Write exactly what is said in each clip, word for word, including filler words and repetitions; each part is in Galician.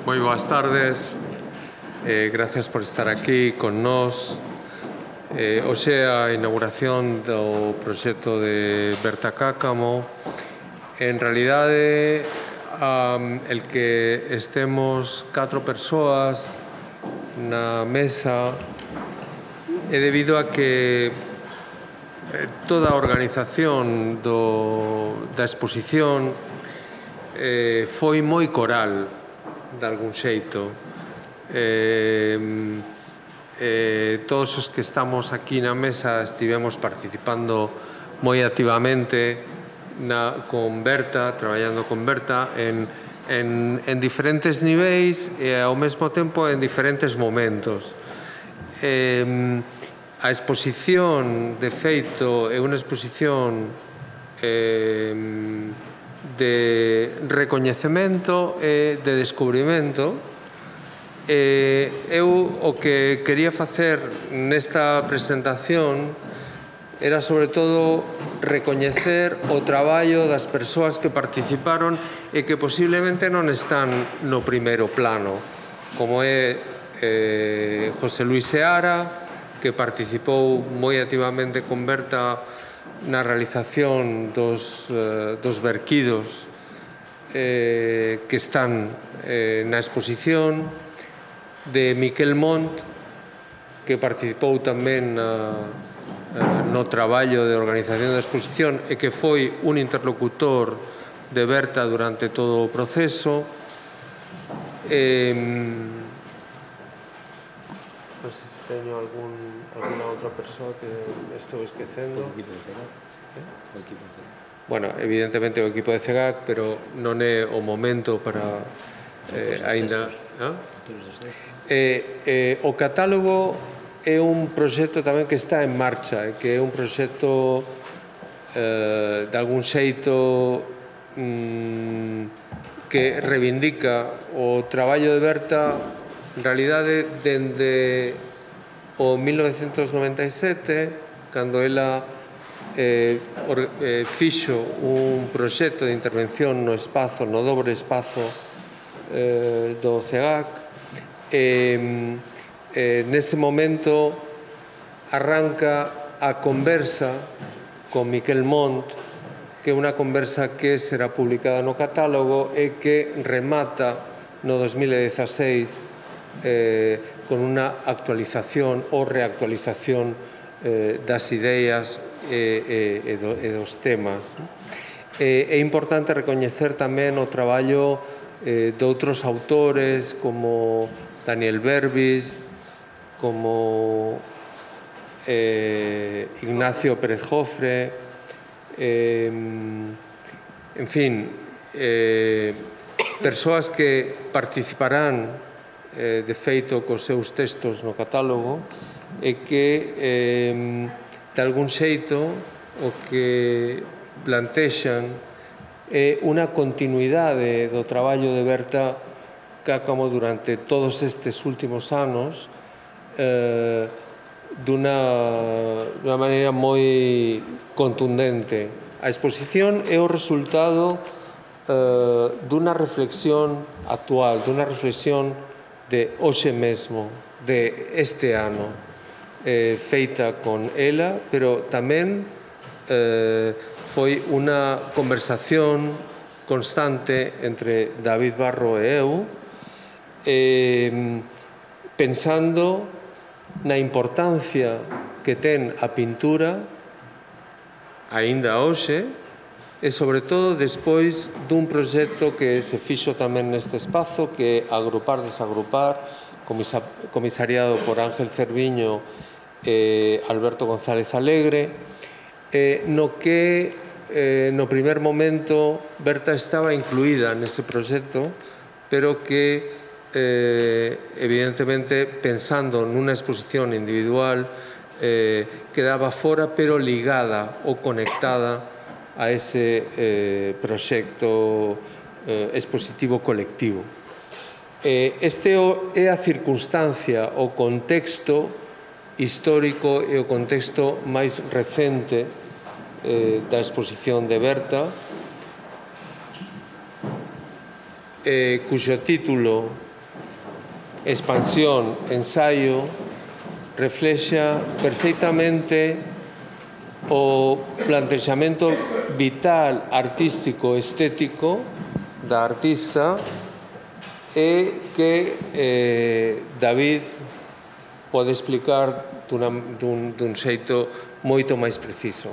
Moi boas tardes, eh, gracias por estar aquí con nós. Eh, hoxe a inauguración do proxecto de Berta Cáccamo. En realidade, um, el que estemos catro persoas na mesa é debido a que toda a organización do, da exposición eh, foi moi coral, de algún xeito. Eh, eh, todos os que estamos aquí na mesa estivemos participando moi activamente na, con Berta, traballando con Berta en, en, en diferentes niveis e ao mesmo tempo en diferentes momentos. Eh, a exposición, de feito, é unha exposición eh, de recoñecemento e de descubrimento. Eh, eu o que quería facer nesta presentación era sobre todo recoñecer o traballo das persoas que participaron e que posiblemente non están no primeiro plano, como é eh, José Luis Seara, que participou moi activamente con Berta na realización dos, eh, dos verquidos eh, que están eh, na exposición, de Miquel Mont, que participou tamén na, no traballo de organización da exposición e que foi un interlocutor de Berta durante todo o proceso. Eh, non sei se teño algún, alguna outra persoa que estou esquecendo. O equipo de C E G A C. Eh? O equipo de C E G A C. Bueno, evidentemente o equipo de C E G A C, pero non é o momento para eh, aínda... Eh, eh, o catálogo é un proxecto tamén que está en marcha, que é un proxecto eh, de algún xeito mm, que reivindica o traballo de Berta en realidade dende o mil novecentos noventa e sete, cando ela eh, or, eh, fixo un proxecto de intervención no espazo, no dobre espazo eh, do C E G A C. Eh, eh, nese momento arranca a conversa con Miquel Mont, que é unha conversa que será publicada no catálogo e que remata no dos mil dieciséis eh, con unha actualización ou reactualización eh, das ideas e, e, e, do, e dos temas. Eh, é importante recoñecer tamén o traballo eh, de outros autores como Daniel Berbis, como eh, Ignacio Pérez Jofre, eh, en fin, eh, persoas que participarán eh, de feito cos seus textos no catálogo e que eh, de algún xeito o que plantexan é unha continuidade do traballo de Berta Cáccamo durante todos estes últimos anos eh, dunha, dunha maneira moi contundente. A exposición é o resultado eh, dunha reflexión actual, dunha reflexión de hoxe mesmo, de este ano, eh, feita con ela, pero tamén eh, foi unha conversación constante entre David Barro e eu, Eh, pensando na importancia que ten a pintura aínda hoxe e sobre todo despois dun proxecto que se fixo tamén neste espazo, que é Agrupar, Desagrupar, comisariado por Ángel Cerviño e Alberto González Alegre, eh, no que eh, no primer momento Berta estaba incluída nese proxecto, pero que Eh, evidentemente pensando nunha exposición individual eh, quedaba fora pero ligada ou conectada a ese eh, proxecto eh, expositivo colectivo. Eh, este é a circunstancia, o contexto histórico e o contexto máis recente eh, da exposición de Berta, eh, cuxo título expansión, ensaio, reflexa perfectamente o plantexamento vital, artístico, estético da artista e que eh, David pode explicar dun, dun, dun xeito moito máis preciso.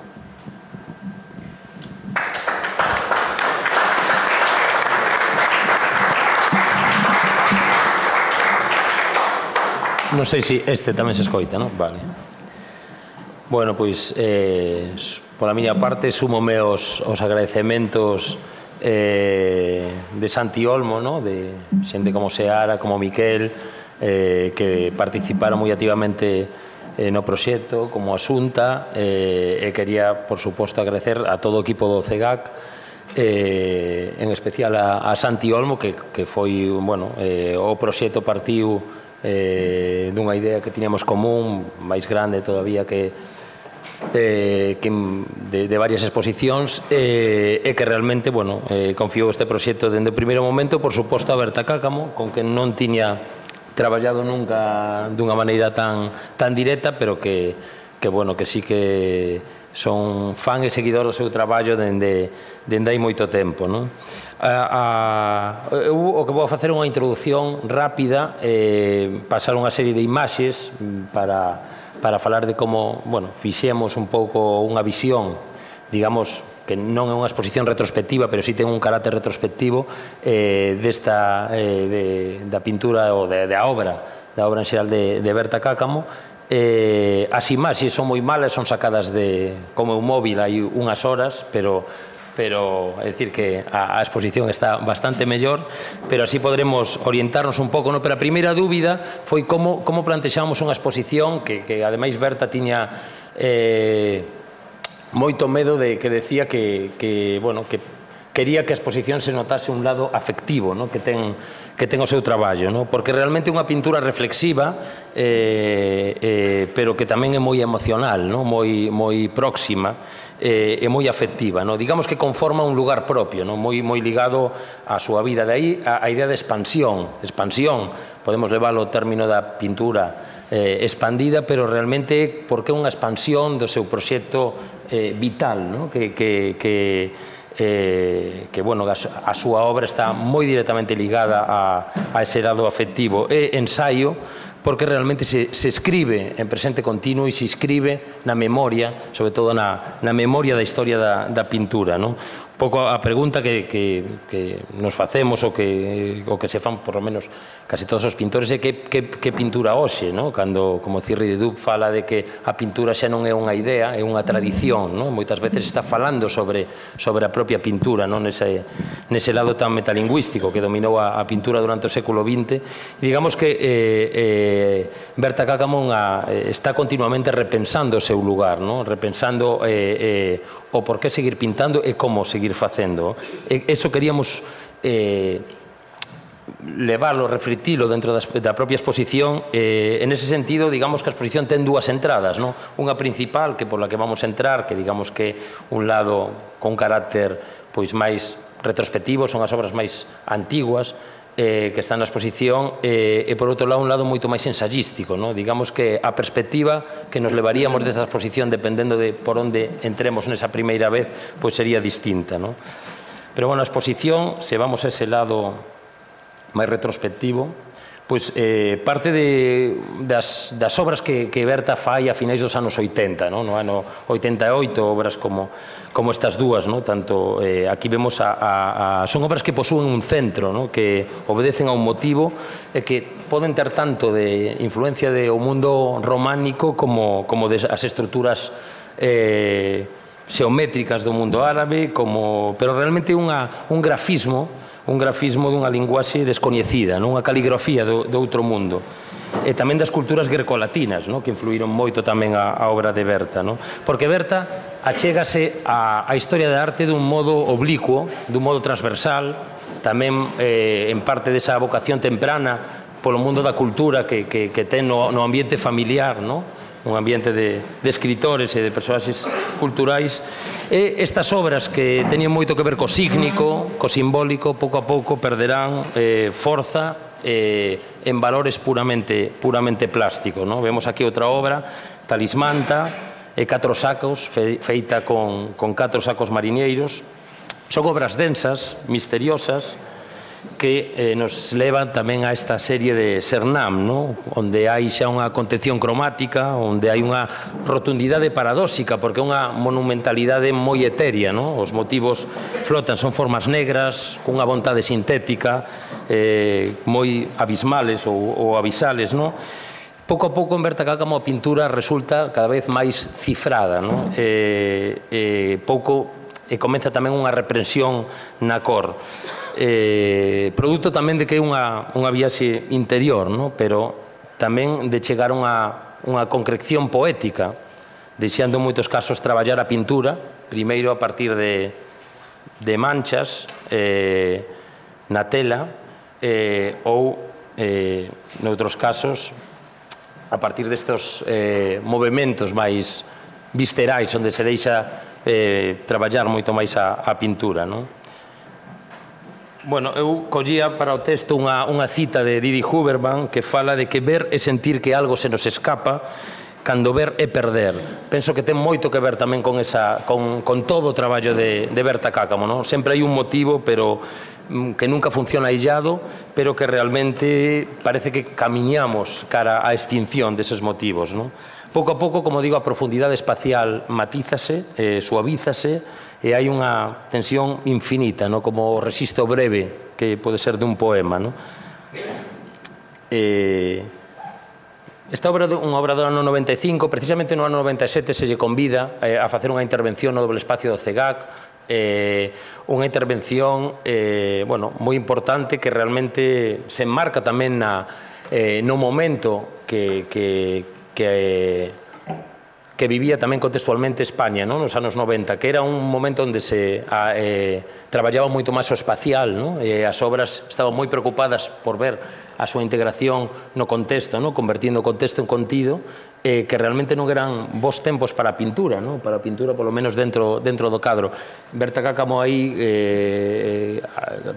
Non sei se este tamén se escoita, non? Vale. Bueno, pois, eh, pola miña parte, súmome os, os agradecementos eh, de Santi Olmo, no? De xente como Seara, como Miquel, eh, que participaron moi activamente eh, no proxecto, como a Xunta, eh, e quería, por suposto, agradecer a todo o equipo do C E G A C, eh, en especial a, a Santi Olmo, que, que foi, bueno, eh, o proxecto partiu eh, dunha idea que tiñamos común, máis grande todavía que, eh, que de, de varias exposicións, eh, e que realmente, bueno, eh, confiou este proxecto dende o primeiro momento, por suposto, a Berta Cáccamo, con que non tiña traballado nunca dunha maneira tan, tan directa, pero que, que, bueno, que sí que son fan e seguidor do seu traballo dende, dende hai moito tempo, non? A, a, eu o que vou facer é unha introducción rápida, eh, pasar unha serie de imaxes para, para falar de como, bueno, fixemos un pouco unha visión, digamos, que non é unha exposición retrospectiva, pero sí ten un carácter retrospectivo eh, desta, eh, de, da pintura ou de, da obra, da obra en xeral de, de Berta Cáccamo. Eh, as imaxes son moi malas, son sacadas de, como un móvil hai unhas horas, pero pero é dicir que a, a exposición está bastante mellor, pero así podremos orientarnos un pouco, no? Pero a primeira dúbida foi como, como plantexamos unha exposición que, que ademais Berta tiña eh, moito medo de que decía que, que, bueno, que quería que a exposición se notase un lado afectivo, no? que, ten, que ten o seu traballo, no? Porque realmente é unha pintura reflexiva, eh, eh, pero que tamén é moi emocional, no? moi, moi próxima, eh, e moi afectiva, no? Digamos que conforma un lugar propio, no? moi, moi ligado á súa vida. De aí a, a idea de expansión, expansión, podemos leválo ao término da pintura eh, expandida, pero realmente porque é unha expansión do seu proxecto eh, vital, no? que, que, que Eh, que, bueno, a, a súa obra está moi directamente ligada a, a ese lado afectivo e ensaio, porque realmente se, se escribe en presente continuo e se escribe na memoria, sobre todo na, na memoria da historia da, da pintura, non? Un pouco a pregunta que, que, que nos facemos o que, o que se fan, por lo menos, casi todos os pintores é que, que, que pintura hoxe, non? Cando, como Thierry de Duc fala de que a pintura xa non é unha idea, é unha tradición, non? Moitas veces está falando sobre, sobre a propia pintura, non? Nese, nese lado tan metalingüístico que dominou a, a pintura durante o século vinte. E digamos que eh, eh, Berta Cáccamo eh, está continuamente repensando o seu lugar, non? Repensando eh, eh, o por que seguir pintando e como seguir facendo. E eso queríamos eh, leválo, reflectilo dentro da, da propia exposición. Eh, en ese sentido, digamos que a exposición ten dúas entradas, non? Unha principal, que por la que vamos a entrar, que digamos que un lado con carácter pois máis retrospectivo, son as obras máis antiguas, eh, que están na exposición, eh, e por outro lado un lado moito máis ensayístico, no? Digamos que a perspectiva que nos levaríamos desta exposición, dependendo de por onde entremos nesa primeira vez, pois sería distinta, no? Pero, bueno, a exposición, se vamos a ese lado máis retrospectivo, pois eh, parte de, das, das obras que, que Berta fai a finais dos anos oitenta, no, no ano oitenta e oito, obras como, como estas dúas, no? Tanto eh, aquí vemos a, a, a, son obras que posúen un centro, no? Que obedecen a un motivo e que poden ter tanto de influencia do mundo románico como, como de as estruturas eh, xeométricas do mundo árabe, como, pero realmente unha, un grafismo un grafismo dunha linguaxe descoñecida, non? Unha caligrafía do, do outro mundo. E tamén das culturas grecolatinas, non? Que influíron moito tamén a, a obra de Berta, non? Porque Berta achégase a, a historia da arte dun modo oblicuo, dun modo transversal, tamén eh, en parte desa vocación temprana polo mundo da cultura que, que, que ten no, no ambiente familiar, non? Un ambiente de, de escritores e de personaxes culturais, e estas obras que teñen moito que ver co sígnico, co simbólico, pouco a pouco perderán eh, forza eh, en valores puramente, puramente plásticos, ¿no? Vemos aquí outra obra, Talismanta, e catro sacos, fe, feita con, con catro sacos mariñeiros. Son obras densas, misteriosas, que eh, nos levan tamén a esta serie de Sernam, ¿no? Onde hai xa unha contención cromática, onde hai unha rotundidade paradóxica, porque é unha monumentalidade moi etérea, ¿no? Os motivos flotan, son formas negras, cunha vontade sintética, eh, moi abismales ou, ou abisales, ¿no? Pouco a pouco en Berta Cáccamo a pintura resulta cada vez máis cifrada, ¿no? Eh, eh, pouco e comeza tamén unha reprensión na cor. Eh, produto tamén de que é unha, unha viaxe interior, no? Pero tamén de chegar a unha, unha concreción poética, deixando en moitos casos traballar a pintura, primeiro a partir de, de manchas eh, na tela, eh, ou, eh, noutros casos, a partir destes eh, movimentos máis viscerais, onde se deixa eh, traballar moito máis a, a pintura, non? Bueno, eu collía para o texto unha, unha cita de Didi Huberman que fala de que ver é sentir que algo se nos escapa, cando ver é perder. Penso que ten moito que ver tamén con, esa, con, con todo o traballo de, de Berta Cáccamo, non? Sempre hai un motivo, pero que nunca funciona aillado, pero que realmente parece que camiñamos cara á extinción deses motivos, non? Pouco a pouco, como digo, a profundidade espacial matízase, eh, suavízase, e hai unha tensión infinita, no? Como o rexistro breve que pode ser dun poema, no? Eh, esta obra é unha obra do ano noventa e cinco, precisamente no ano noventa e sete se lle convida eh, a facer unha intervención no doble espacio do CEGAC, eh, unha intervención eh, bueno, moi importante que realmente se enmarca tamén na, eh, no momento que, que, que eh, que vivía tamén contextualmente España, non? Nos anos noventa, que era un momento onde se a, eh, traballaba moito máis o espacial, non? E as obras estaban moi preocupadas por ver a súa integración no contexto, non? Convertindo o contexto en contido, eh, que realmente non eran bons tempos para a pintura, non? Para a pintura, polo menos dentro, dentro do cadro. Berta Cáccamo aí eh,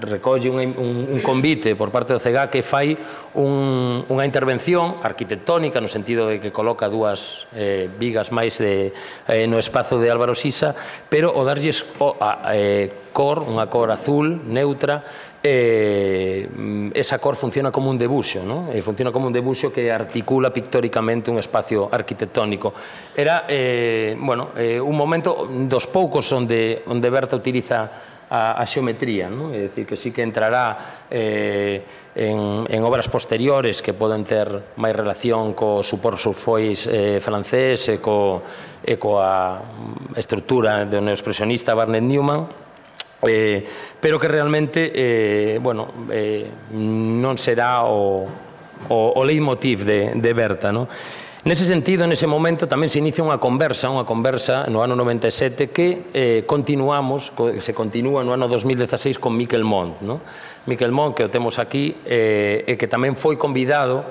recolle un, un, un convite por parte do CEGAC que fai un, unha intervención arquitectónica no sentido de que coloca dúas eh, vigas máis de, eh, no espazo de Álvaro Sisa, pero o darlles o, a, eh, cor, unha cor azul, neutra, eh, esa cor funciona como un debuxo, ¿no? E funciona como un debuxo que articula pictóricamente un espacio arquitectónico. Era, eh, bueno, eh, un momento dos poucos onde, onde Berta utiliza a, a xeometría, ¿no? É dicir, que sí que entrará eh, en, en obras posteriores que poden ter máis relación co supor surfois eh, francés e, co, e coa estrutura do neoexpresionista Barnett Newman, Eh, pero que realmente eh, bueno, eh, non será o, o, o leitmotiv de, de Berta, ¿no? Nese sentido, nese momento, tamén se inicia unha conversa, unha conversa no ano noventa e sete que eh, continuamos, que se continúa no ano dos mil dezaseis con Miquel Mont, ¿no? Miquel Mont, que o temos aquí, eh, e que tamén foi convidado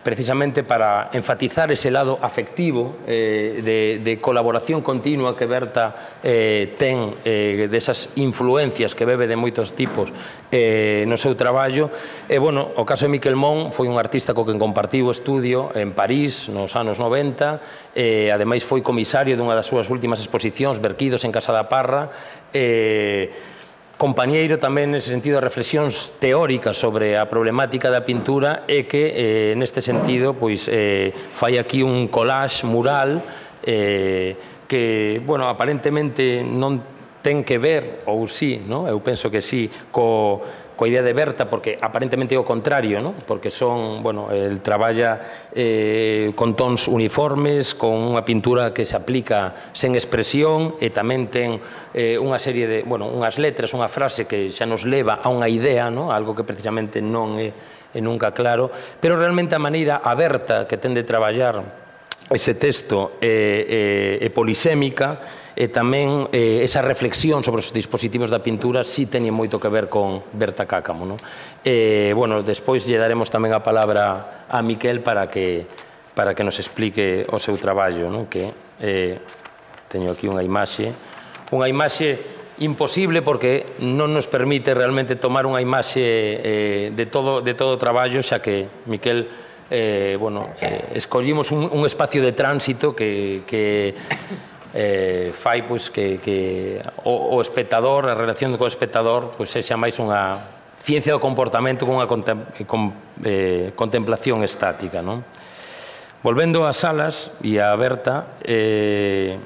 precisamente para enfatizar ese lado afectivo eh, de, de colaboración continua que Berta eh, ten eh, desas influencias que bebe de moitos tipos eh, no seu traballo. E, bueno, o caso de Miquel Mont foi un artista co que compartiu o estudio en París nos anos noventa, e ademais foi comisario dunha das súas últimas exposicións, Verquidos en Casa da Parra, e compañeiro tamén nese sentido de reflexións teóricas sobre a problemática da pintura e que eh, neste sentido pois eh, fai aquí un collage mural eh, que, bueno, aparentemente non ten que ver, ou sí, no? Eu penso que sí, co, coa idea de Berta, porque aparentemente é o contrario, no? Porque son, bueno, el traballa eh, con tons uniformes, con unha pintura que se aplica sen expresión e tamén ten eh, unha serie de, bueno, unhas letras, unha frase que xa nos leva a unha idea, no? Algo que precisamente non é, é nunca claro, pero realmente a maneira aberta que ten de traballar ese texto é, é, é polisémica, e tamén eh, esa reflexión sobre os dispositivos da pintura sí teñen moito que ver con Berta Cáccamo, no? E, bueno, despois lle daremos tamén a palabra a Miquel para que, para que nos explique o seu traballo, no? Que eh, teño aquí unha imaxe, unha imaxe imposible porque non nos permite realmente tomar unha imaxe eh, de todo de todo o traballo, xa que Miquel eh, bueno, eh, escollimos un, un espacio de tránsito que, que eh, fai pois, que, que o, o espectador, a relación co espectador pois, sexa máis unha ciencia do comportamento con unha contem, con, eh, contemplación estática, non? Volvendo ás salas e a Berta, eh,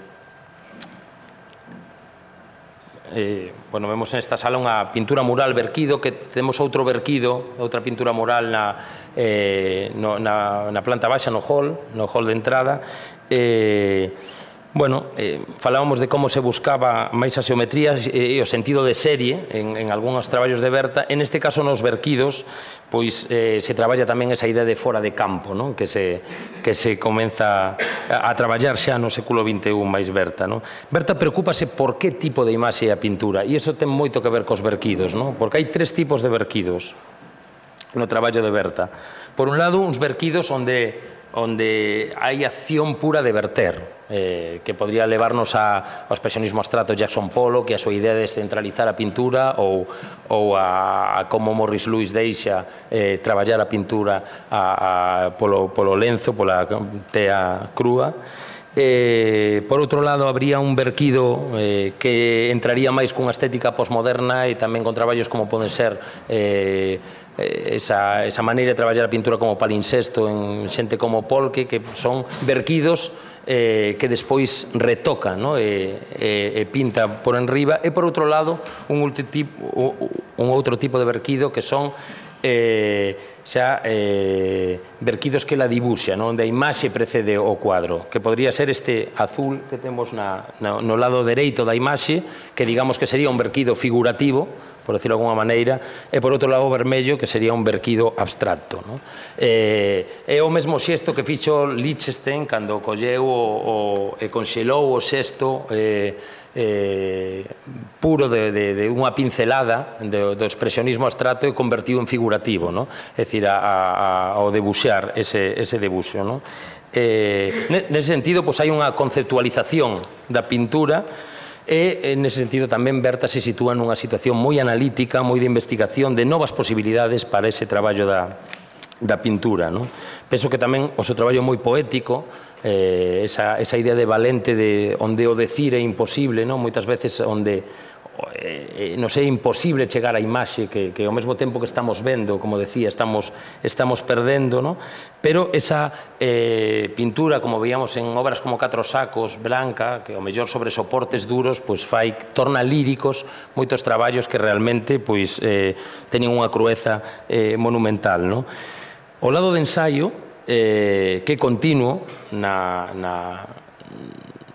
Eh, bueno, vemos nesta sala unha pintura mural Verquido, que temos outro Verquido, outra pintura mural na, eh, no, na, na planta baixa, no hall, no hall de entrada. Eh, bueno, eh, falábamos de como se buscaba máis a xeometría e, e o sentido de serie en, en algúns traballos de Berta. En este caso, nos Verquidos, pois eh, se traballa tamén esa idea de fora de campo, non? Que se, que se comeza a, a traballar xa no século vinte e un máis Berta, non? Berta preocúpase por que tipo de imaxe é a pintura, e iso ten moito que ver cos Verquidos, non? Porque hai tres tipos de Verquidos no traballo de Berta. Por un lado, uns Verquidos onde onde hai acción pura de verter, eh, que podría levarnos a, ao expresionismo abstracto Jackson Pollock, que a súa idea de descentralizar a pintura, ou, ou a, a como Morris Louis deixa eh, traballar a pintura a, a, polo, polo lenzo, pola tea crúa. Eh, por outro lado, habría un Verquido eh, que entraría máis cunha estética postmoderna e tamén con traballos como poden ser eh, esa, esa maneira de traballar a pintura como palincesto en xente como Polke, que son Verquidos eh, que despois retoca, no? e, e, e pinta por enriba. E por outro lado, un, tipo, un outro tipo de Verquido que son eh, xa eh, Verquidos que la dibuxa, no? Onde a imaxe precede o cuadro, que podría ser este azul que temos na, na, no lado dereito da imaxe, que digamos que sería un Verquido figurativo, por decirlo de alguma maneira, e por outro lado o vermello, que sería un Verquido abstracto, no? Eh, é o mesmo xesto que fixo Lichtenstein cando colleu o, o, e conxelou o xesto eh, eh, puro de, de, de unha pincelada do, do expresionismo abstracto e convertiu en figurativo, no? É dicir, a, a, ao debuxar ese, ese debuxo, no? Eh, nese sentido, pois, hai unha conceptualización da pintura. E, nese sentido, tamén Berta se sitúa nunha situación moi analítica, moi de investigación, de novas posibilidades para ese traballo da, da pintura, non? Penso que tamén o seu traballo moi poético, eh, esa, esa idea de Valente de onde o decir é imposible, non? Moitas veces onde eh, non sei, é imposible chegar á imaxe que, que ao mesmo tempo que estamos vendo, como decía, estamos, estamos perdendo, non? Pero esa eh, pintura, como veíamos en obras como Catro Sacos, Blanca, que ao mellor sobre soportes duros, pois fai, torna líricos moitos traballos que realmente pois, eh, teñen unha crueza eh, monumental, non? O lado de ensaio, eh, que é continuo na, na,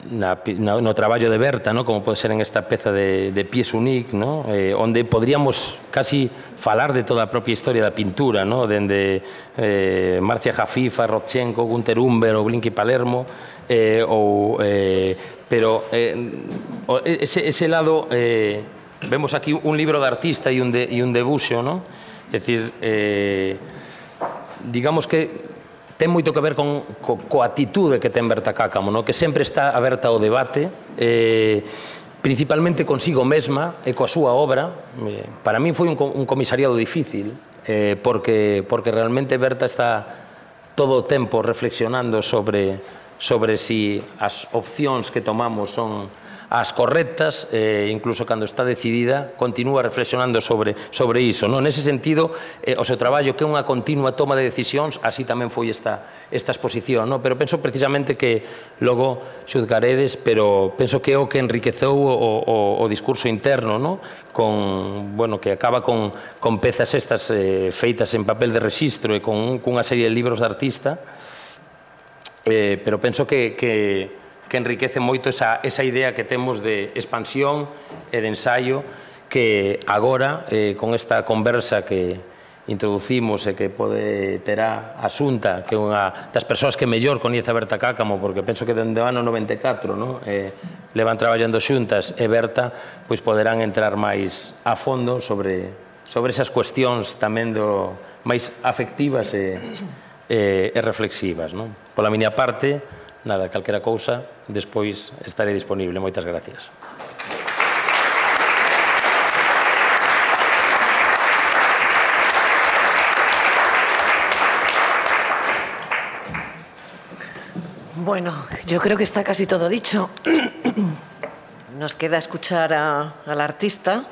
na, na, no traballo de Berta, no? Como pode ser en esta peza de, de Pies Unique, no? eh, onde podríamos casi falar de toda a propia historia da pintura, no? Dende eh, Marcia Jafifa, Rodchenko, Günter Humber ou Blinky Palermo, eh, ou, eh, pero eh, ese, ese lado, eh, vemos aquí un libro de artista e un, de, e un debuxo, no? É dicir, eh, digamos que ten moito que ver con, co, coa atitude que ten Berta Cáccamo, no? Que sempre está aberta ao debate, eh, principalmente consigo mesma e coa súa obra. Eh, para mí foi un, un comisariado difícil, eh, porque, porque realmente Berta está todo o tempo reflexionando sobre, sobre si as opcións que tomamos son as correctas, eh, incluso cando está decidida, continúa reflexionando sobre, sobre iso, non? Nese sentido, eh, o seu traballo que é unha continua toma de decisións, así tamén foi esta, esta exposición, non? Pero penso precisamente que logo xuzgaredes, pero penso que é o que enriqueceu o, o, o discurso interno, non? Con, bueno, que acaba con, con pezas estas eh, feitas en papel de rexistro e con cunha serie de libros de artista, eh, pero penso que, que que enriquece moito esa, esa idea que temos de expansión e de ensaio, que agora, eh, con esta conversa que introducimos e que pode terá a Xunta, que é unha das persoas que mellor coñece a Berta Cáccamo, porque penso que dende o ano noventa e catro, no? eh, levan traballando xuntas, e Berta pois poderán entrar máis a fondo sobre, sobre esas cuestións tamén do, máis afectivas e, e, e reflexivas, no? Pola miña parte, nada, calquera cousa, despois estarei disponible. Moitas gracias. Bueno, yo creo que está casi todo dicho. Nos queda escuchar a, al artista.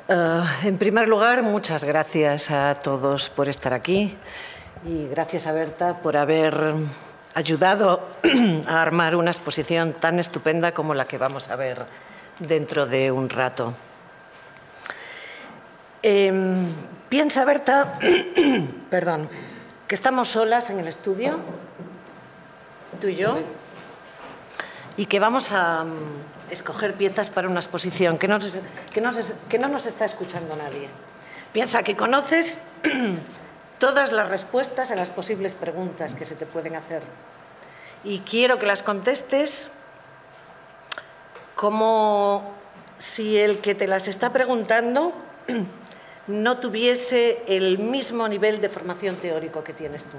Uh, en primer lugar, muchas gracias a todos por estar aquí y gracias a Berta por haber ayudado a armar una exposición tan estupenda como la que vamos a ver dentro de un rato. Eh, piensa, Berta, perdón, que estamos solas en el estudio, tú y yo, y que vamos a escoger piezas para una exposición, que no, que, no, que no nos está escuchando nadie. Piensa que conoces todas las respuestas a las posibles preguntas que se te pueden hacer. Y quiero que las contestes como si el que te las está preguntando no tuviese el mismo nivel de formación teórico que tienes tú.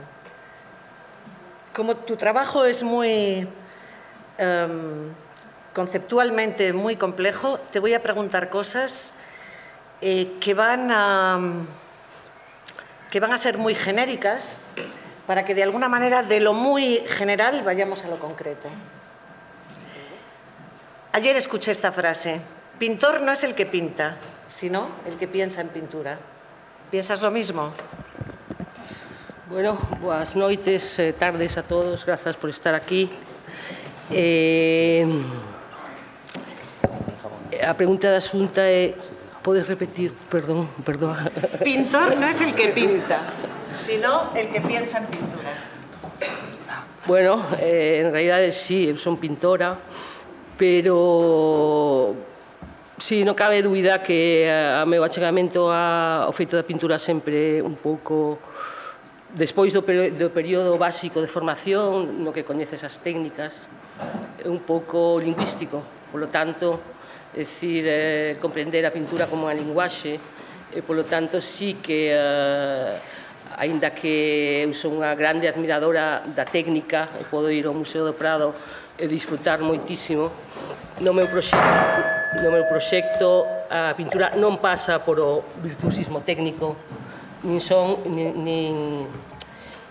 Como tu trabajo es muy... Um, conceptualmente muy complejo, te voy a preguntar cosas eh, que, van a, que van a ser muy genéricas para que de alguna manera de lo muy general vayamos a lo concreto. Ayer escuché esta frase: pintor no es el que pinta, sino el que piensa en pintura. ¿Piensas lo mismo? Bueno, buenas noites, eh, tardes a todos, gracias por estar aquí. Eh, a pregunta da Xunta é... Podes repetir? Perdón, perdón. Pintor no es el que pinta, sino el que piensa en pintura. Bueno, eh, en realidade sí, eu son pintora, pero sí, non cabe dúbida que a meu achegamento ao feito da pintura sempre un pouco despois do, do período básico de formación no que coñeces as técnicas, é un pouco lingüístico, polo tanto, é dicir, eh, comprender a pintura como unha linguaxe, e polo tanto sí que, eh, aínda que eu son unha grande admiradora da técnica, e podo ir ao Museo do Prado e disfrutar moitísimo, no meu proxecto, no meu proxecto a pintura non pasa por o virtuosismo técnico, nin son, nin, nin,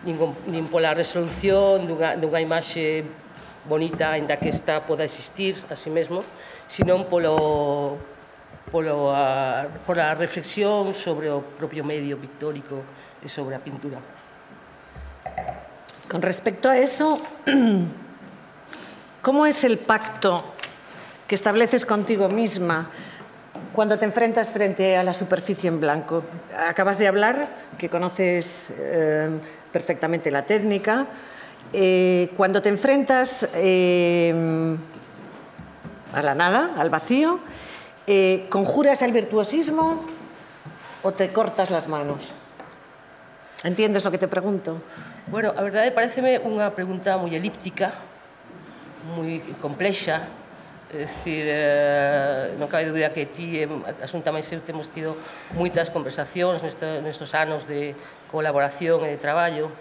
nin, nin pola resolución dunha, dunha imaxe bonita, aínda que esta poda existir a si mesmo, senón polo, polo a, pola reflexión sobre o propio medio pictórico e sobre a pintura. Con respecto a eso, ¿cómo es el pacto que estableces contigo misma cuando te enfrentas frente a la superficie en blanco? Acabas de hablar que conoces eh, perfectamente la técnica. Eh, cuando te enfrentas eh, a la nada, al vacío, eh, ¿conjuras el virtuosismo o te cortas las manos? ¿Entiendes lo que te pregunto? Bueno, a verdade pareceme unha pregunta moi elíptica, moi complexa. É dicir, eh, non cabe dúbida que ti e a Xunta máis eu temos tido moitas conversacións nestes, nestes anos de colaboración e de traballo.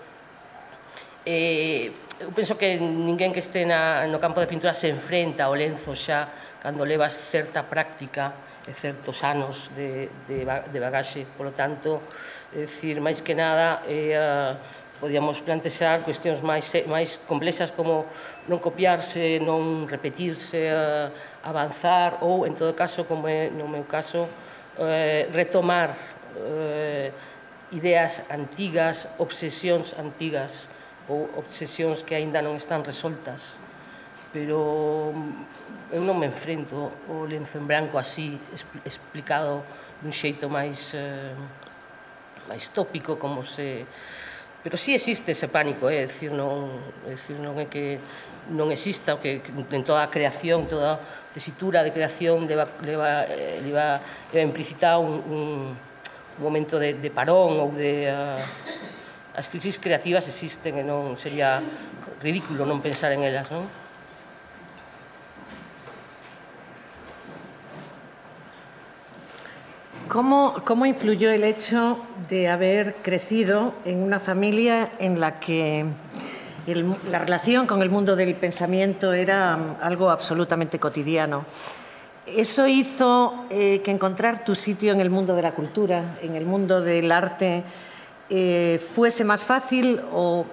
Eh, eu penso que ninguén que este na, no campo de pintura se enfrenta ao lenzo xa cando levas certa práctica e certos anos de, de, de bagaxe. Por lo tanto, é dicir, máis que nada, eh, podíamos plantexar cuestións máis, máis complexas como non copiarse, non repetirse, eh, avanzar ou, en todo caso, como é no meu caso, eh, retomar eh, ideas antigas, obsesións antigas ou obsesións que aínda non están resoltas. Pero eu non me enfrento ao lenzo en branco así, explicado dun xeito máis, eh, máis tópico, como se... Pero sí existe ese pánico, é dicir, non, é dicir, non é que non exista, o que en toda a creación, toda a tesitura de creación leva, leva, leva, leva implícita un, un, un momento de, de parón ou de... Uh, as crisis creativas existen e non sería ridículo non pensar en elas, non? ¿Cómo, ¿Cómo influyó el hecho de haber crecido en una familia en la que el, la relación con el mundo del pensamiento era algo absolutamente cotidiano? ¿Eso hizo eh, que encontrar tu sitio en el mundo de la cultura, en el mundo del arte, eh, fuese más fácil o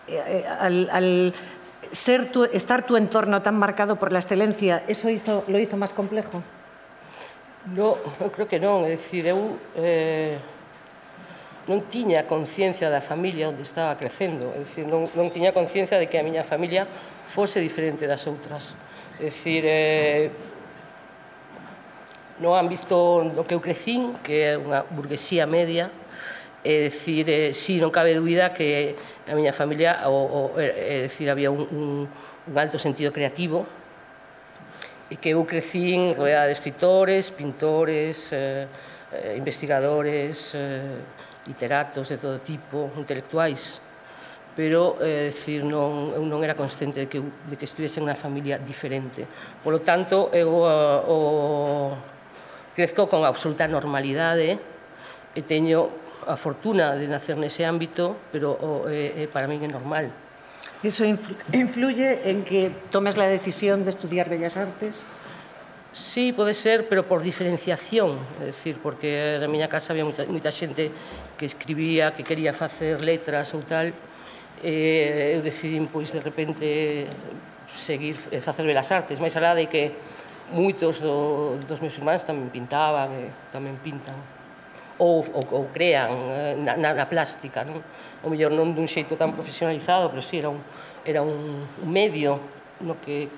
eh, al, al ser tu, estar tu entorno tan marcado por la excelencia, eso hizo, lo hizo máis complejo? No, eu creo que non, é dicir, eu eh, non tiña conciencia da familia onde estaba crecendo, é dicir, non, non tiña conciencia de que a miña familia fose diferente das outras, é dicir, eh, no ámbito no que eu crecín, que é unha burguesía media, é dicir, eh, si non cabe dúbida que a miña familia, o, o, é dicir, había un, un, un alto sentido creativo, e que eu crecín rodeada de escritores, pintores, eh, eh, investigadores, eh, literatos de todo tipo, intelectuais, pero eh, decir, non, eu non era consciente de que, de que estivese en unha familia diferente. Por lo tanto, eu uh, o, crezco con absoluta normalidade e teño a fortuna de nacer nese ámbito, pero o, eh, eh, para min é normal. ¿Eso influye en que tomes la decisión de estudiar Bellas Artes? Sí, pode ser, pero por diferenciación, é dicir, porque na miña casa había moita, moita xente que escribía, que quería facer letras ou tal, e eu decidín, pois, de repente, seguir, facer Belas Artes, máis alá de que moitos do, dos meus irmáns tamén pintaban, e tamén pintan, ou, ou, ou crean na, na, na plástica, non? O mellor non dun xeito tan profesionalizado, pero sí, era un, era un medio no que,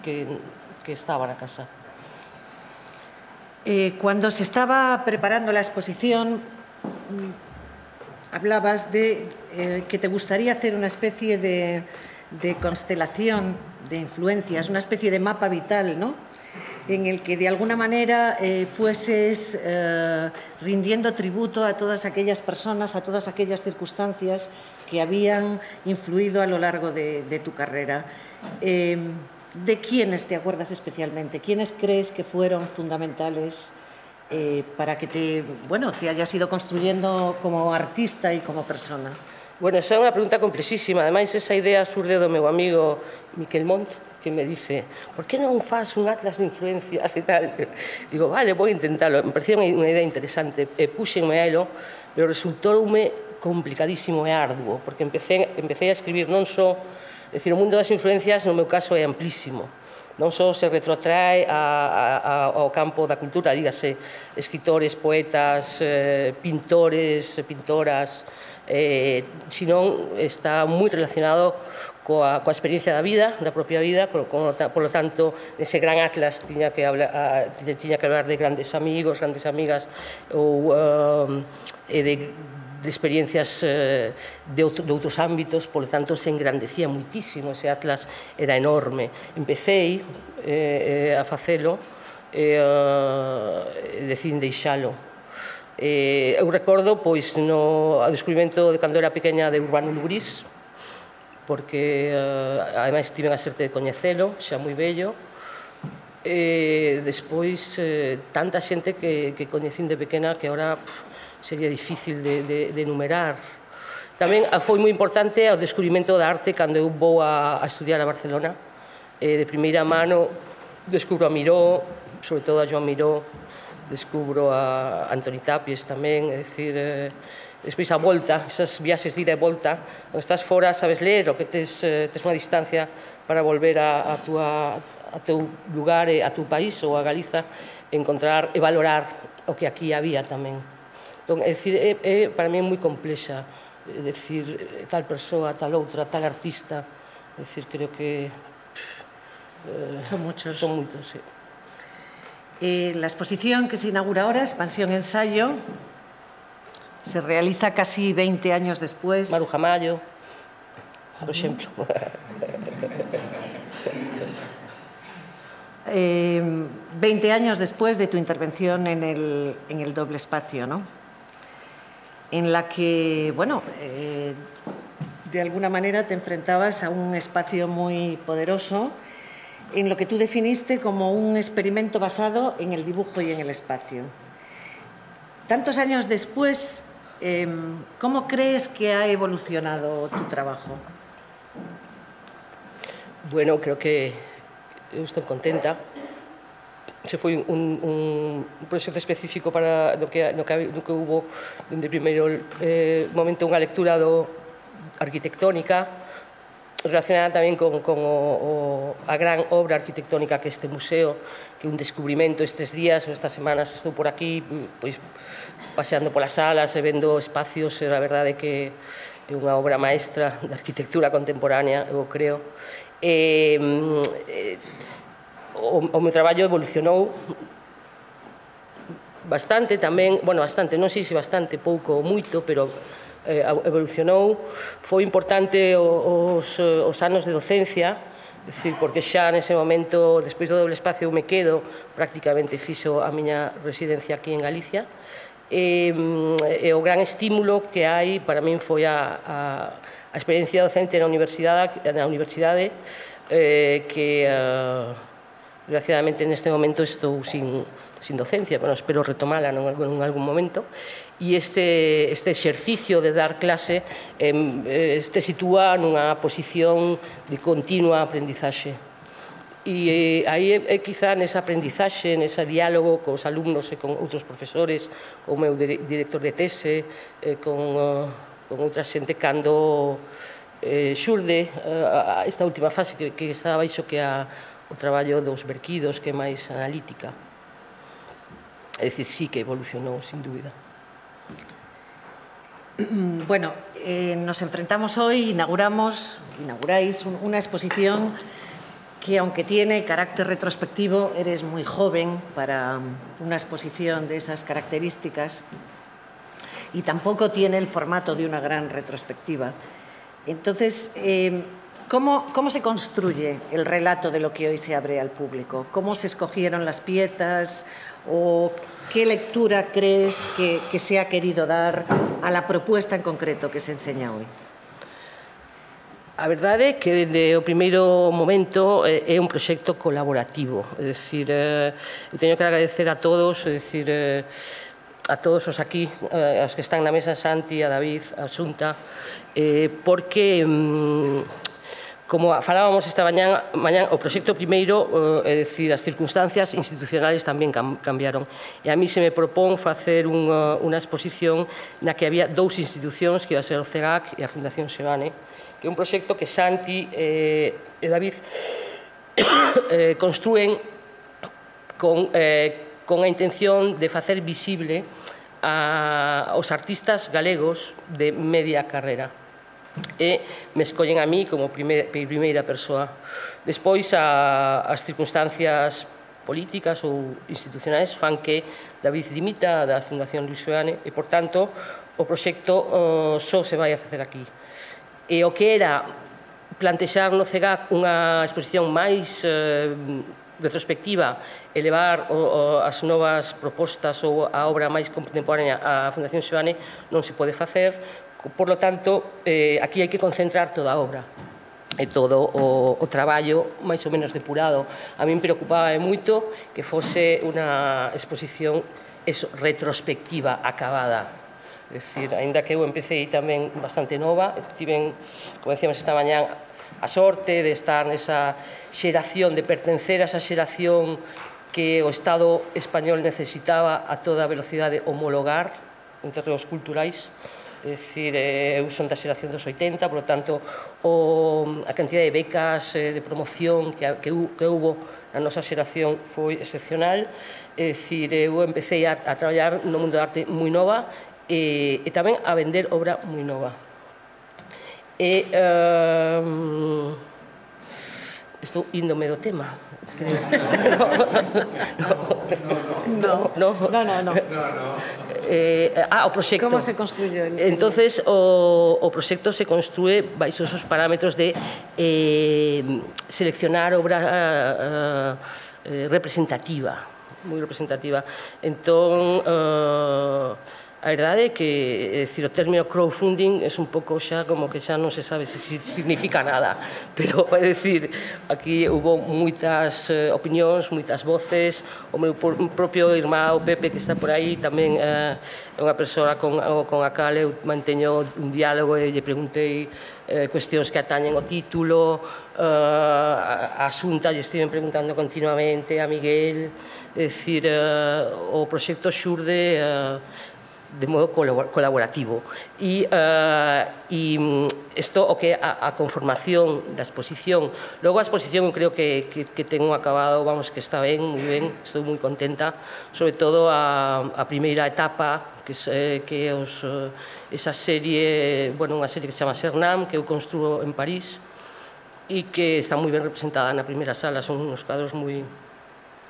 que, que estaba na casa. Eh, cuando se estaba preparando la exposición, hablabas de eh, que te gustaría hacer una especie de, de constelación de influencias, una especie de mapa vital, ¿no? En el que de alguna manera eh, fueses eh, rindiendo tributo a todas aquellas personas, a todas aquellas circunstancias que habían influido a lo largo de, de tu carrera. Eh, ¿De quiénes te acuerdas especialmente? ¿Quiénes crees que fueron fundamentales eh, para que te, bueno, te hayas ido construyendo como artista y como persona? Bueno, esa é unha pregunta complexísima. Ademais, esa idea surde do meu amigo Miquel Montt, que me dice, por que non faz un atlas de influencias e tal? Digo, vale, vou intentalo. Me parecía unha idea interesante. E puxenme a elo, pero resultoume complicadísimo e arduo, porque empecé, empecé a escribir non só... É dicir, o mundo das influencias, no meu caso, é amplísimo. Non só se retrotrae a, a, ao campo da cultura, dígase, escritores, poetas, eh, pintores, pintoras, eh, senón está moi relacionado coa, coa experiencia da vida, da propia vida, con, con, por lo tanto, ese gran atlas tiña que hablar, a, tiña que hablar de grandes amigos, grandes amigas, ou um, e de de experiencias eh, de, outro, de outros ámbitos, por lo tanto, se engrandecía muitísimo, ese atlas era enorme. Empecéi eh, a facelo e eh, decidín deixalo. Eh, eu recordo, pois, no descubrimento de cando era pequena de Urbano Lugrís, porque, eh, ademais, tiven a sorte de coñecelo, xa moi bello, e despois, eh, tanta xente que, que coñecín de pequena que ahora... Pff, sería difícil de, de, de enumerar. Tamén foi moi importante o descubrimento da arte cando eu vou a, a estudiar a Barcelona. Eh, de primeira mano descubro a Miró, sobre todo a Joan Miró, descubro a Antoni Tapies tamén, é dicir, eh, despois a volta, esas viaxes de ida e volta, cando estás fora sabes ler o que tes, eh, tes unha distancia para volver a, a, tua, a teu lugar, a tu país ou a Galiza, encontrar e valorar o que aquí había tamén. Entón, é dicir, é, é, para mí é moi complexa, é dicir, tal persoa, tal outra, tal artista, é dicir, creo que... Eh, son muchos. Son moitos, sí. Eh, la exposición que se inaugura ahora, Expansión Ensayo, se realiza casi veinte años después. Maruja Mayo, por exemplo. eh, veinte años después de tu intervención en el, en el doble espacio, ¿no? En la que, bueno, eh, de alguna manera te enfrentabas a un espacio muy poderoso en lo que tú definiste como un experimento basado en el dibujo y en el espacio. Tantos años después, eh, ¿cómo crees que ha evolucionado tu trabajo? Bueno, creo que eu estou contenta. Se foi un, un proxecto específico para no que, no que, no que hubo dende primeiro eh, momento unha lectura do arquitectónica relacionada tamén con, con o, o, a gran obra arquitectónica que este museo, que é un descubrimento estes días ou estas semanas estou por aquí, pois, paseando polas salas e vendo espacios, e a verdade que é unha obra maestra da arquitectura contemporánea, eu creo. E, e, o, o meu traballo evolucionou bastante tamén, bueno, bastante, non sei se bastante, pouco ou moito, pero eh, evolucionou. Foi importante os, os anos de docencia, decir, porque xa nese momento, despois do doble espacio, eu me quedo, prácticamente fixo a miña residencia aquí en Galicia, e, e o gran estímulo que hai para min foi a, a, a experiencia docente na universidade, na universidade eh, que eh, desgraciadamente neste momento estou sin, sin docencia, bueno, espero retomala en algún, en algún momento, e este, este exercicio de dar clase eh, este sitúa nunha posición de continua aprendizaxe. E eh, aí é, é quizá nesa aprendizaxe, nese diálogo cos alumnos e con outros profesores, con o meu director de tese, eh, con, uh, con outra xente, cando eh, xurde uh, esta última fase que, que está baixo, que é a, o traballo dos verquidos, que é máis analítica. É dicir, sí que evolucionou, sin dúbida. Bueno, eh, nos enfrentamos hoy, inauguramos, inauguráis un, una exposición que, aunque tiene carácter retrospectivo, eres muy joven para una exposición de esas características y tampoco tiene el formato de una gran retrospectiva. Entonces, eh, ¿cómo, ¿cómo se construye el relato de lo que hoy se abre al público? ¿Cómo se escogieron las piezas? ¿O qué lectura crees que, que se ha querido dar a la propuesta en concreto que se enseña hoy? A verdade é que, desde o primeiro momento, é un proxecto colaborativo. É dicir, eu teño que agradecer a todos, é dicir, a todos os aquí, aos que están na mesa, Santi, a David, a Xunta, porque, como falábamos esta mañán, mañán o proxecto primeiro, é dicir, as circunstancias institucionales tamén cambiaron. E a mí se me propón facer unha, unha exposición na que había dous institucións, que iba a ser o CEGAC e a Fundación Seoane, que é un proxecto que Santi e David construen con, eh, con a intención de facer visible a, aos artistas galegos de media carreira. E me escollen a mí como primeira, primeira persoa. Despois, a, as circunstancias políticas ou institucionais fan que David dimita da Fundación Luis Seoane e, por tanto, o proxecto uh, só se vai a facer aquí. E o que era plantexar no CEGAC unha exposición máis eh, retrospectiva e levar o, o, as novas propostas ou a obra máis contemporánea á Fundación Seoane non se pode facer. Por lo tanto, eh, aquí hai que concentrar toda a obra e todo o, o traballo máis ou menos depurado. A min preocupaba moito que fose unha exposición eso, retrospectiva, acabada. É dicir, ainda que eu empecé tamén bastante nova, tiven, como decíamos esta mañán, a sorte de estar nesa xeración, de pertencer a esa xeración que o Estado español necesitaba a toda velocidade homologar en terreos culturais. É dicir, eu son da xeración dos oitenta, por lo tanto, o, a cantidad de becas de promoción que, que, que hubo na nosa xeración foi excepcional. É dicir, eu empecé a, a traballar no mundo da arte moi nova, E, e tamén a vender obra moi nova. E um, estou índome do tema. No, no, no, no, no. Eh, ah, o proxecto. Como se construye? Entonces, o, o proxecto se construe baixo esos parámetros de eh, seleccionar obra eh, representativa, moi representativa. Entón, eh, a verdade é que, é dicir, o término crowdfunding é un pouco xa como que xa non se sabe se significa nada, pero é dicir, aquí hubo moitas eh, opinións, moitas voces, o meu propio irmão Pepe, que está por aí, tamén é eh, unha persoa con, con a cal eu manteño un diálogo e lle preguntei eh, cuestións que atañen o título, eh, a, a Xunta lle estiven preguntando continuamente, a Miguel, é dicir, eh, o proxecto xurde eh, de modo colaborativo. E, uh, e isto o que a, a conformación da exposición. Logo a exposición eu creo que, que, que ten un acabado, vamos, que está ben, moi ben, estou moi contenta, sobre todo a, a primeira etapa, que, é, que é os, esa serie, bueno, unha serie que se chama Cernam, que eu construo en París, e que está moi ben representada na primeira sala, son uns cuadros moi,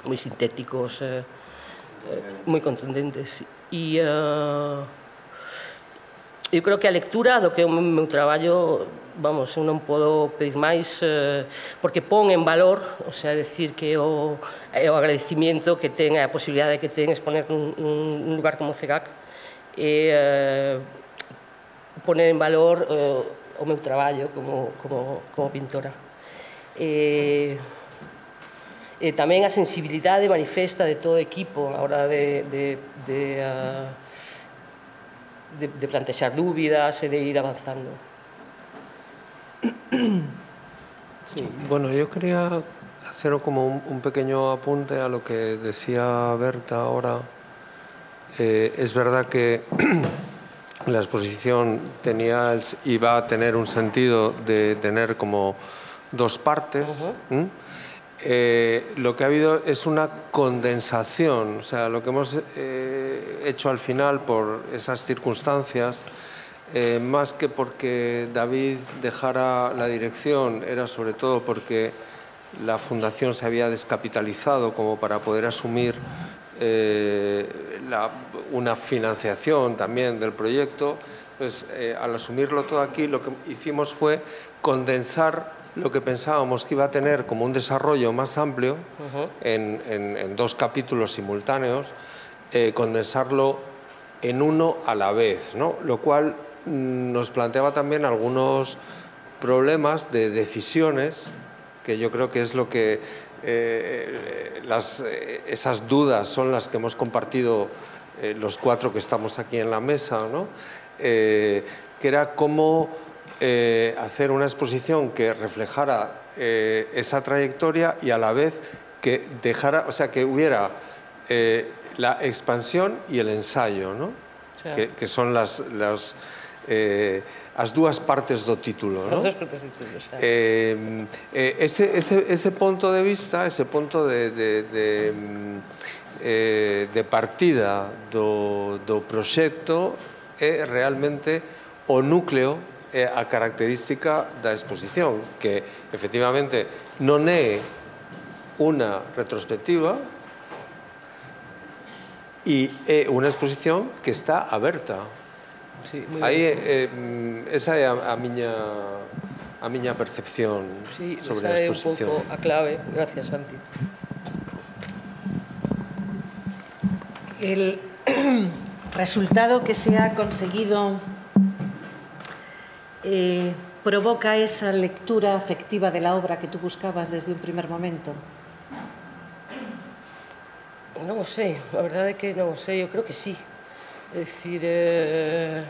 moi sintéticos, eh, eh, moi contundentes. E uh, eu creo que a lectura do que é o meu traballo, vamos, eu non podo pedir máis, uh, porque pon en valor, o sea, decir que o, é o agradecimiento que ten, a posibilidade que ten exponer nun, nun lugar como CEGAC, e uh, poner en valor uh, o meu traballo como, como, como pintora. E, e tamén a sensibilidade manifesta de todo o equipo a hora de, de, de, uh, de, de plantexar dúbidas e de ir avanzando. Sí, bueno, yo quería hacer como un, un pequeño apunte a lo que decía Berta ahora. Eh, es verdad que la exposición tenía el, iba a tener un sentido de tener como dos partes. Uh-huh. ¿Mm? Eh, lo que ha habido es una condensación, o sea, lo que hemos eh, hecho al final por esas circunstancias, eh, más que porque David dejara la dirección, era sobre todo porque la fundación se había descapitalizado como para poder asumir eh, la, una financiación también del proyecto. Pues eh, al asumirlo todo aquí, lo que hicimos fue condensar lo que pensábamos que iba a tener como un desarrollo más amplio, uh-huh, en, en, en dos capítulos simultáneos, eh, condensarlo en uno a la vez, ¿no? Lo cual mm, nos planteaba también algunos problemas de decisiones, que yo creo que es lo que eh, las, eh, esas dudas son las que hemos compartido eh, los cuatro que estamos aquí en la mesa, ¿no? Eh, que era cómo Eh, hacer una exposición que reflejara eh, esa trayectoria y a la vez que dejara, o sea, que hubiera eh, la expansión y el ensayo, ¿no? Sí. Que, que son las, las, eh, as dúas partes do título, ¿no? As dúas partes do título, xa. Eh, eh, ese, ese, ese punto de vista, ese punto de, de, de, eh, de partida do, do proxecto é realmente o núcleo, é a característica da exposición, que efectivamente non é unha retrospectiva e é unha exposición que está aberta. Sí, aí eh, esa é a, a miña a miña percepción, sí, sobre a exposición. Sí, esa é un pouco a clave. Gracias, Santi. El resultado que se ha conseguido Eh, provoca esa lectura afectiva de la obra que tú buscabas desde un primer momento? Non o sei, a verdade é que non o sei, eu creo que sí. É dicir, eh...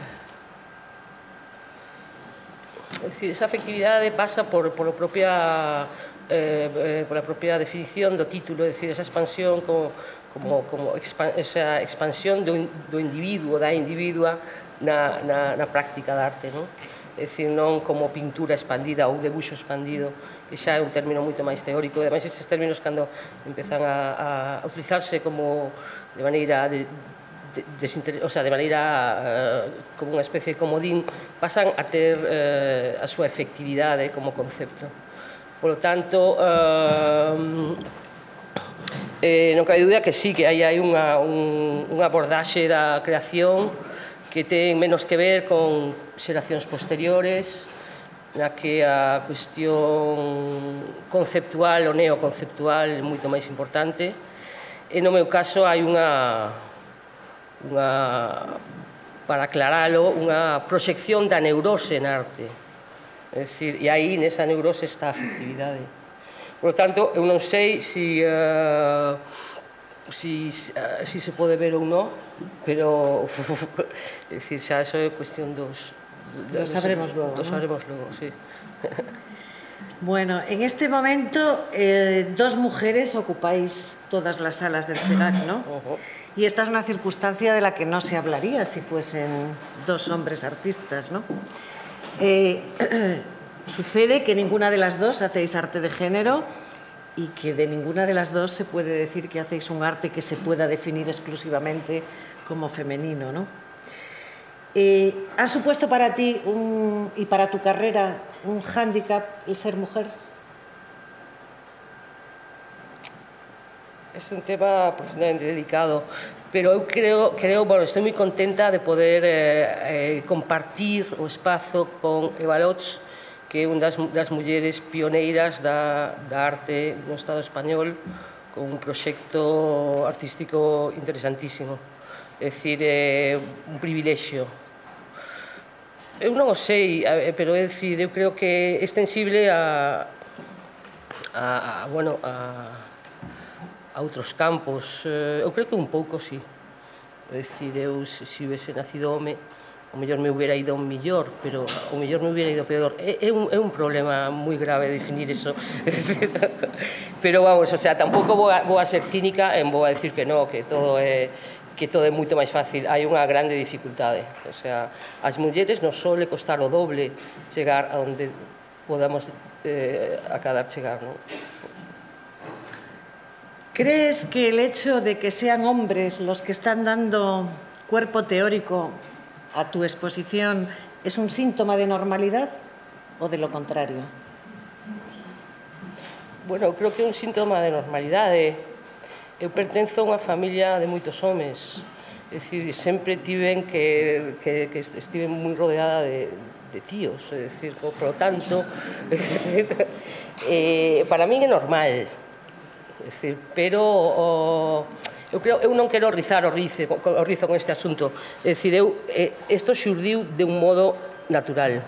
é dicir, esa afectividade pasa por, por a propia eh, por a propia definición do título, é dicir, esa expansión como, como, como expan esa expansión do, do individuo, da individua na, na, na práctica da arte, non? É dicir, non como pintura expandida ou debuxo expandido, que xa é un término moito máis teórico. Ademais, estes términos, cando empezan a, a utilizarse como de maneira de, de, de, o sea, de maneira uh, como unha especie de comodín, pasan a ter uh, a súa efectividade como concepto. Por lo tanto, uh, eh, non cabe dúbida que sí, que hai, hai unha, un, unha abordaxe da creación que ten menos que ver con xeracións posteriores, na que a cuestión conceptual ou neoconceptual é moito máis importante. E no meu caso hai unha, unha para aclaralo, unha proxección da neurose na arte. É dicir, e aí nesa neurose está a afectividade. Por lo tanto, eu non sei se... Uh, si, uh, si se pode ver ou non, pero é dicir, xa eso é cuestión dos... Lo sabremos luego. Lo sabremos luego, sí. Bueno, en este momento eh, dos mujeres ocupáis todas las salas del CEGAC, ¿no? Uh-huh. Y esta es una circunstancia de la que no se hablaría si fuesen dos hombres artistas, ¿no? Eh, sucede que ninguna de las dos hacéis arte de género y que de ninguna de las dos se puede decir que hacéis un arte que se pueda definir exclusivamente como femenino, ¿no? Eh, ¿Ha supuesto para ti un, y para tu carrera un hándicap el ser mujer? Es un tema profundamente delicado, pero eu creo, creo bueno, estou moi contenta de poder eh, eh, compartir o espazo con Eva Lots, que é unha das, das mulleres pioneiras da, da arte no Estado español, con un proxecto artístico interesantísimo. É dicir, é un privilexio. Eu non o sei, pero é dicir, eu creo que é extensible a, a, a bueno, a a outros campos. Eu creo que un pouco, sí. É dicir, eu se, se hubiese nacido home, o mellor me hubiera ido mellor, pero o mellor me hubiera ido peor. É, é, un, é un problema moi grave definir eso. Pero vamos, o sea, tampouco vou a, vou a ser cínica en vou a decir que no, que todo é que todo é moito máis fácil. Hai unha grande dificultade. O sea, as mulleres nos sole costar o doble chegar a onde podamos eh, acadar chegar, non? ¿Crees que el hecho de que sean hombres los que están dando cuerpo teórico a tu exposición es un síntoma de normalidad o de lo contrario? Bueno, creo que é un síntoma de normalidade. Eu pertenzo a unha familia de moitos homes. É dicir, sempre tiven que, que, que estive moi rodeada de, de tíos. É dicir, por lo tanto, é dicir, eh, para min é normal. É dicir, pero o, eu, creo, eu non quero rizar o rizo, o rizo con este asunto. É dicir, eu, eh, isto xurdiu de un modo natural.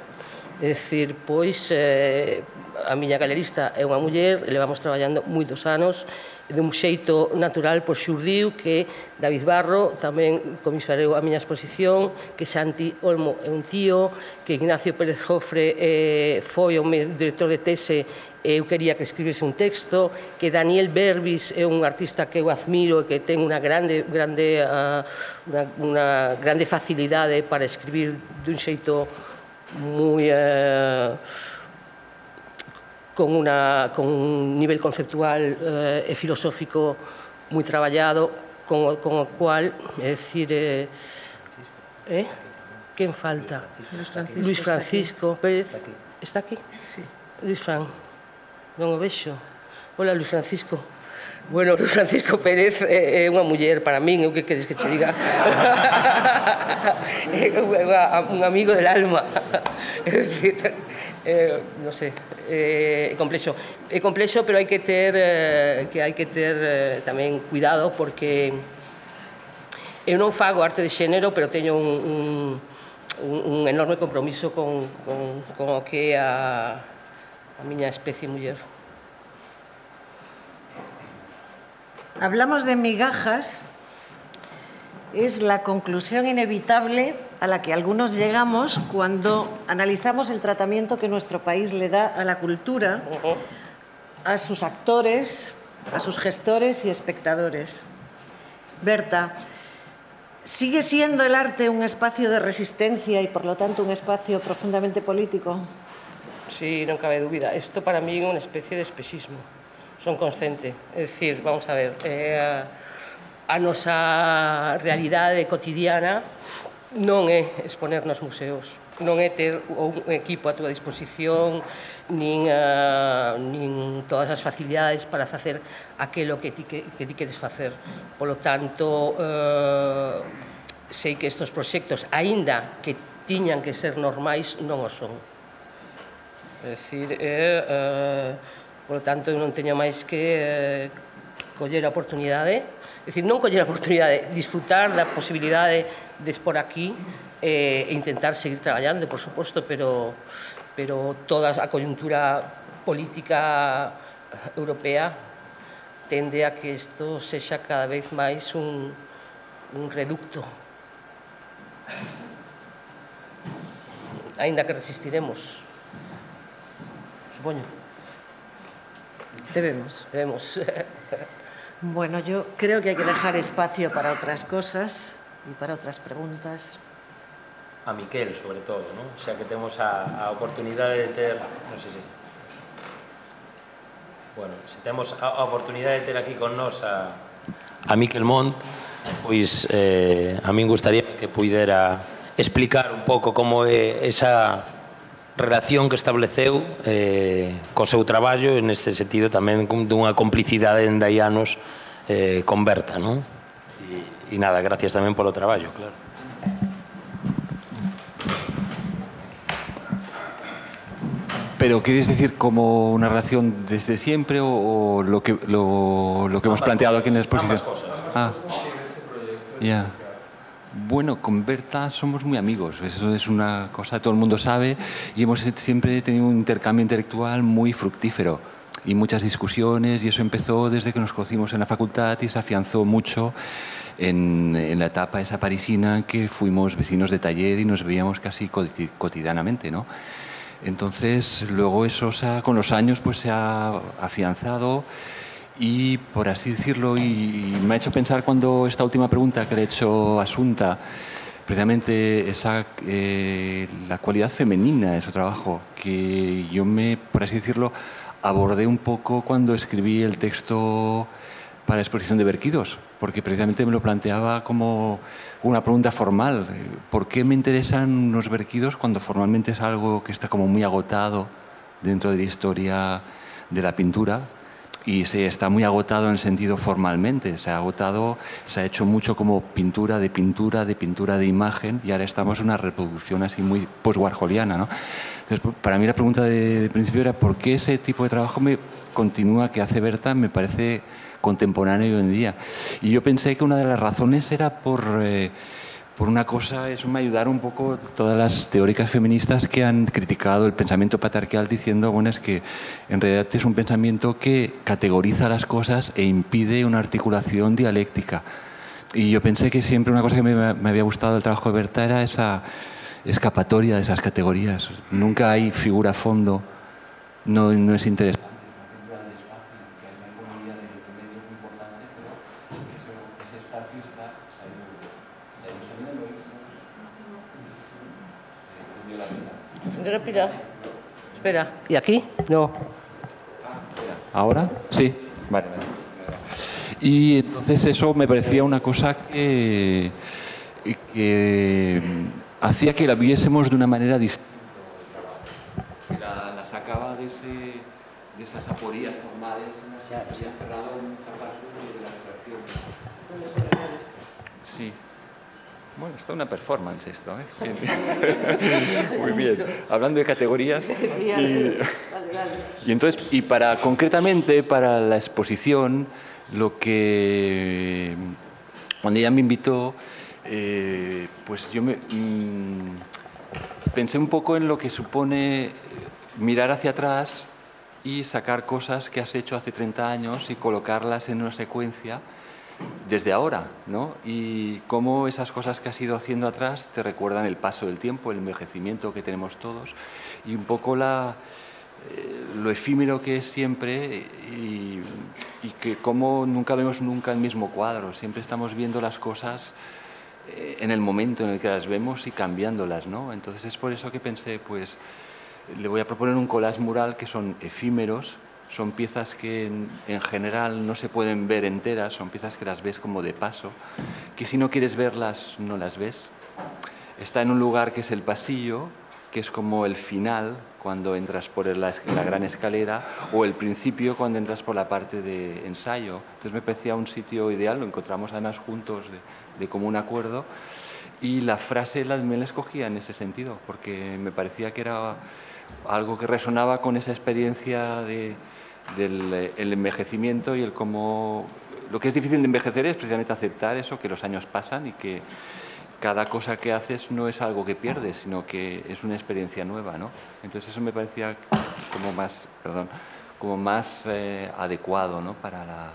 É dicir, pois, eh, a miña galerista é unha muller, levamos traballando moitos anos, de un xeito natural, pois xurdiu que David Barro tamén comisareu a miña exposición, que Santi Olmo é un tío, que Ignacio Pérez Jofre eh, foi o meu director de tese. Eu quería que escribese un texto, que Daniel Berbis é un artista que eu admiro e que ten unha grande, grande, uh, unha, unha grande facilidade para escribir dun xeito moi uh, con, una, con un nivel conceptual uh, e filosófico moi traballado, con o, con o cual, é dicir, eh, eh? Quen falta? Luis Francisco, Luis Francisco Pérez. Está aquí? Sí. Luis Fran. Non o vexo. Hola, Luis Francisco. Bueno, Luis Francisco Pérez é unha muller para min, eu que queres que che diga? É un amigo del alma. É dicir, eh, non sei, é complexo. É complexo, pero hai que ter eh, que hai que ter eh, tamén cuidado, porque eu non fago arte de xénero, pero teño un, un, un enorme compromiso con, con, con o que é a a miña especie muller. Hablamos de migajas, es la conclusión inevitable a la que algunos llegamos cuando analizamos el tratamiento que nuestro país le da a la cultura, a sus actores, a sus gestores y espectadores. Berta, ¿sigue siendo el arte un espacio de resistencia y por lo tanto un espacio profundamente político? Sí, non cabe dúbida. Isto para mí é unha especie de espexismo. Son consciente. É dicir, vamos a ver, eh, a nosa realidade cotidiana non é exponer nos museos, non é ter un equipo a túa disposición, nin, uh, nin todas as facilidades para facer aquilo que ti, que, que ti queres facer. Polo tanto, uh, sei que estes proxectos, aínda que tiñan que ser normais, non o son. É dicir, é, eh, por lo tanto, eu non teño máis que eh, coller a oportunidade, é dicir, non coller a oportunidade, disfrutar da posibilidade de expor aquí e eh, intentar seguir traballando, por suposto, pero, pero toda a coyuntura política europea tende a que isto sexa cada vez máis un, un reducto. Aínda que resistiremos. Supoño. Debemos. Debemos. Bueno, yo creo que hay que dejar espacio para otras cosas y para otras preguntas. A Miquel, sobre todo, ¿no? Xa que temos a, a oportunidade de ter, non sei se... Bueno, se temos a, a oportunidade de ter aquí con nós a, a Miquel Mont, pois eh, a min gustaría que puidera explicar un pouco como é esa relación que estableceu eh, co seu traballo, e neste sentido tamén dunha complicidade en dai anos eh, con Berta, non? E, e nada, gracias tamén polo traballo, claro. Pero ¿quieres decir como una relación desde siempre o, o lo que lo, lo que hemos planteado aquí en la exposición? Ambas cosas. Ah, ya. Bueno, con Berta somos muy amigos, eso es una cosa que todo el mundo sabe y hemos siempre tenido un intercambio intelectual muy fructífero y muchas discusiones y eso empezó desde que nos conocimos en la facultad y se afianzó mucho en, en la etapa esa parisina en que fuimos vecinos de taller y nos veíamos casi cotidianamente, ¿no? Entonces, luego eso se ha, con los años pues se ha afianzado y, por así decirlo, y, y me ha hecho pensar cuando esta última pregunta que le he hecho a Asunta, precisamente esa, eh, la cualidad femenina de su trabajo, que yo me, por así decirlo, abordé un poco cuando escribí el texto para la exposición de Berquidos, porque precisamente me lo planteaba como una pregunta formal. ¿Por qué me interesan los Berquidos cuando formalmente es algo que está como muy agotado dentro de la historia de la pintura? Y se está muy agotado en el sentido formalmente, se ha agotado, se ha hecho mucho como pintura de pintura, de pintura de imagen, y ahora estamos en una reproducción así muy post-warholiana, ¿no? Entonces, para mí la pregunta de, de principio era ¿por qué ese tipo de trabajo me continúa que hace Berta? Me parece contemporáneo hoy en día. Y yo pensé que una de las razones era por, eh, por una cosa, eso me ayudaron un poco todas las teóricas feministas que han criticado el pensamiento patriarcal diciendo, bueno, es que en realidad es un pensamiento que categoriza las cosas e impide una articulación dialéctica. Y yo pensé que siempre una cosa que me, me había gustado del trabajo de Berta era esa escapatoria de esas categorías. Nunca hay figura a fondo, no, no es interesante. Respira. Espera. ¿Y aquí? No. ¿Ahora? Sí. Vale, vale. Y entonces eso me parecía una cosa que, que hacía que la viésemos de una manera distinta. La, la sacaba de, ese, de esas aporías formales en las que se había encerrado en esa parte de la abstracción. Sí. Bueno, está una performance esto, ¿eh? Muy bien. Hablando de categorías. Y, y entonces, y para concretamente para la exposición, lo que cuando ella me invitó, eh, pues yo me mmm, pensé un poco en lo que supone mirar hacia atrás y sacar cosas que has hecho hace treinta años y colocarlas en una secuencia desde ahora, ¿no? Y cómo esas cosas que has ido haciendo atrás te recuerdan el paso del tiempo, el envejecimiento que tenemos todos y un poco la, eh, lo efímero que es siempre y, y que cómo nunca vemos nunca el mismo cuadro, siempre estamos viendo las cosas eh, en el momento en el que las vemos y cambiándolas, ¿no? Entonces es por eso que pensé, pues le voy a proponer un collage mural que son efímeros. Son piezas que en, en general no se pueden ver enteras, son piezas que las ves como de paso, que si no quieres verlas no las ves. Está en un lugar que es el pasillo, que es como el final cuando entras por la, la gran escalera, o el principio cuando entras por la parte de ensayo. Entonces me parecía un sitio ideal, lo encontramos además juntos de, de común acuerdo, y la frase la, me la escogía en ese sentido, porque me parecía que era algo que resonaba con esa experiencia de del el envejecimiento y el cómo... Lo que es difícil de envejecer es precisamente aceptar eso, que los años pasan y que cada cosa que haces no es algo que pierdes, sino que es una experiencia nueva, ¿no? Entonces eso me parecía como más, perdón, como más eh, adecuado, ¿no? para, la,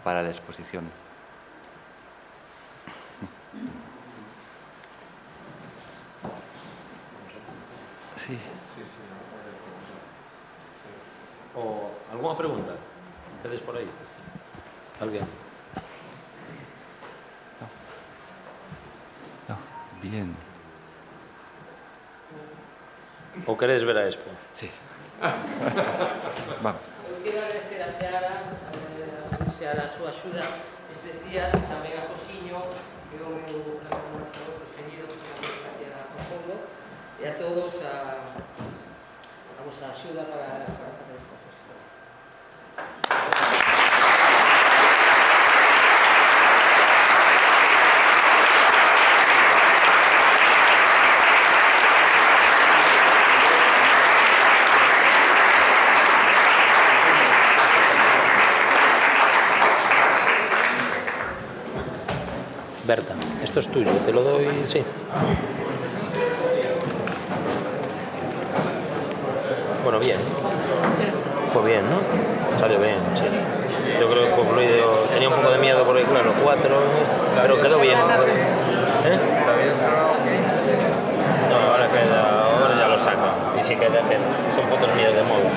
para la exposición. Sí. O alguna pregunta? ¿Tedes por aí? Alguén? Bien. ¿O queréis ver a Expo? Sí. Vamos. Eu quero agradecer a Seara, a Seara a súa axuda estes días, tamén a Josiño, que é o meu colaborador preferido, porque é unha carreira a fondo, e a todos a, a vosa axuda para, para facer esta exposición. Berta, esto es tuyo, te lo doy, sí. Bueno, bien. Fue bien, ¿no? Salió bien, sí. Yo creo que fue fluido. Tenía un poco de miedo porque, claro, cuatro, pero quedó bien. ¿Eh? No, ahora queda, ahora ya lo saco. Y sí queda, son fotos mías de moda.